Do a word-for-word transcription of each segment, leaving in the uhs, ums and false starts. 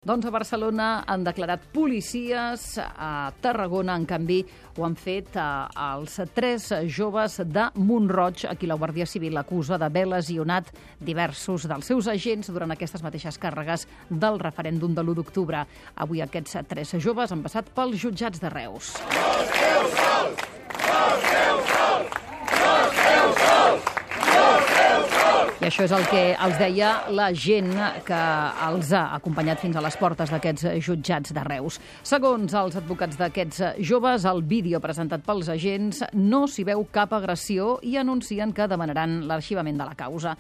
Doncs a Barcelona han declarat policies, a Tarragona, en canvi, ho han fet els tres joves de Mont-roig, a qui la Guàrdia Civil acusa d'haver lesionat diversos dels seus agents durant aquestes mateixes càrregues del referèndum de l'u d'octubre. Avui aquests tres joves han passat pels jutjats de Reus. No esteu sols! No esteu sols! No esteu sols! No esteu sols! I això és el que els deia la gent que els ha acompanyat fins a les portes d'aquests jutjats de Reus. Segons els advocats d'aquests joves, el vídeo presentat pels agents no s'hi veu cap agressió i anuncien que demanaran l'arxivament de la causa.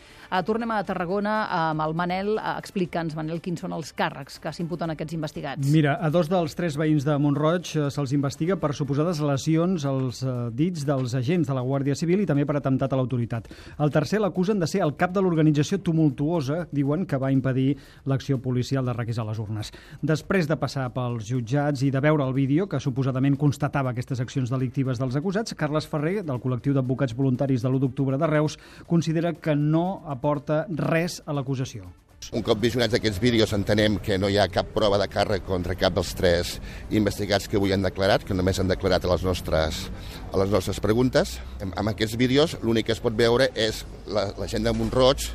Tornem a Tarragona amb el Manel. Explica'ns, Manel, quins són els càrrecs que s'imputen a aquests investigats. Mira, a dos dels tres veïns de Mont-roig se'ls investiga per suposades lesions als dits dels agents de la Guàrdia Civil i també per atemptat a l'autoritat. El tercer l'acusen de ser el cap de l'organització tumultuosa, diuen, que va impedir l'acció policial de requisar les urnes. Després de passar pels jutjats i de veure el vídeo, que suposadament constatava aquestes accions delictives dels acusats, Carles Ferrer, del col·lectiu d'advocats voluntaris de l'u d'octubre de Reus, considera que no aporta res a l'acusació. Un cop visionats aquests vídeos entenem que no hi ha cap prova de càrrec contra cap dels tres investigats que avui han declarat, que només han declarat a les nostres, a les nostres preguntes. Amb aquests vídeos l'únic que es pot veure és la, la gent de Mont-roig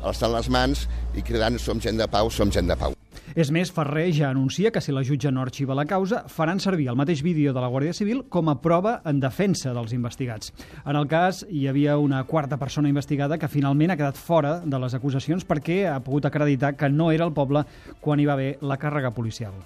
alçant les mans i cridant "som gent de pau, som gent de pau". És més, Ferrer ja anuncia que si la jutge no arxiva la causa, faran servir el mateix vídeo de la Guàrdia Civil com a prova en defensa dels investigats. En el cas, hi havia una quarta persona investigada que finalment ha quedat fora de les acusacions perquè ha pogut acreditar que no era al poble quan hi va haver la càrrega policial.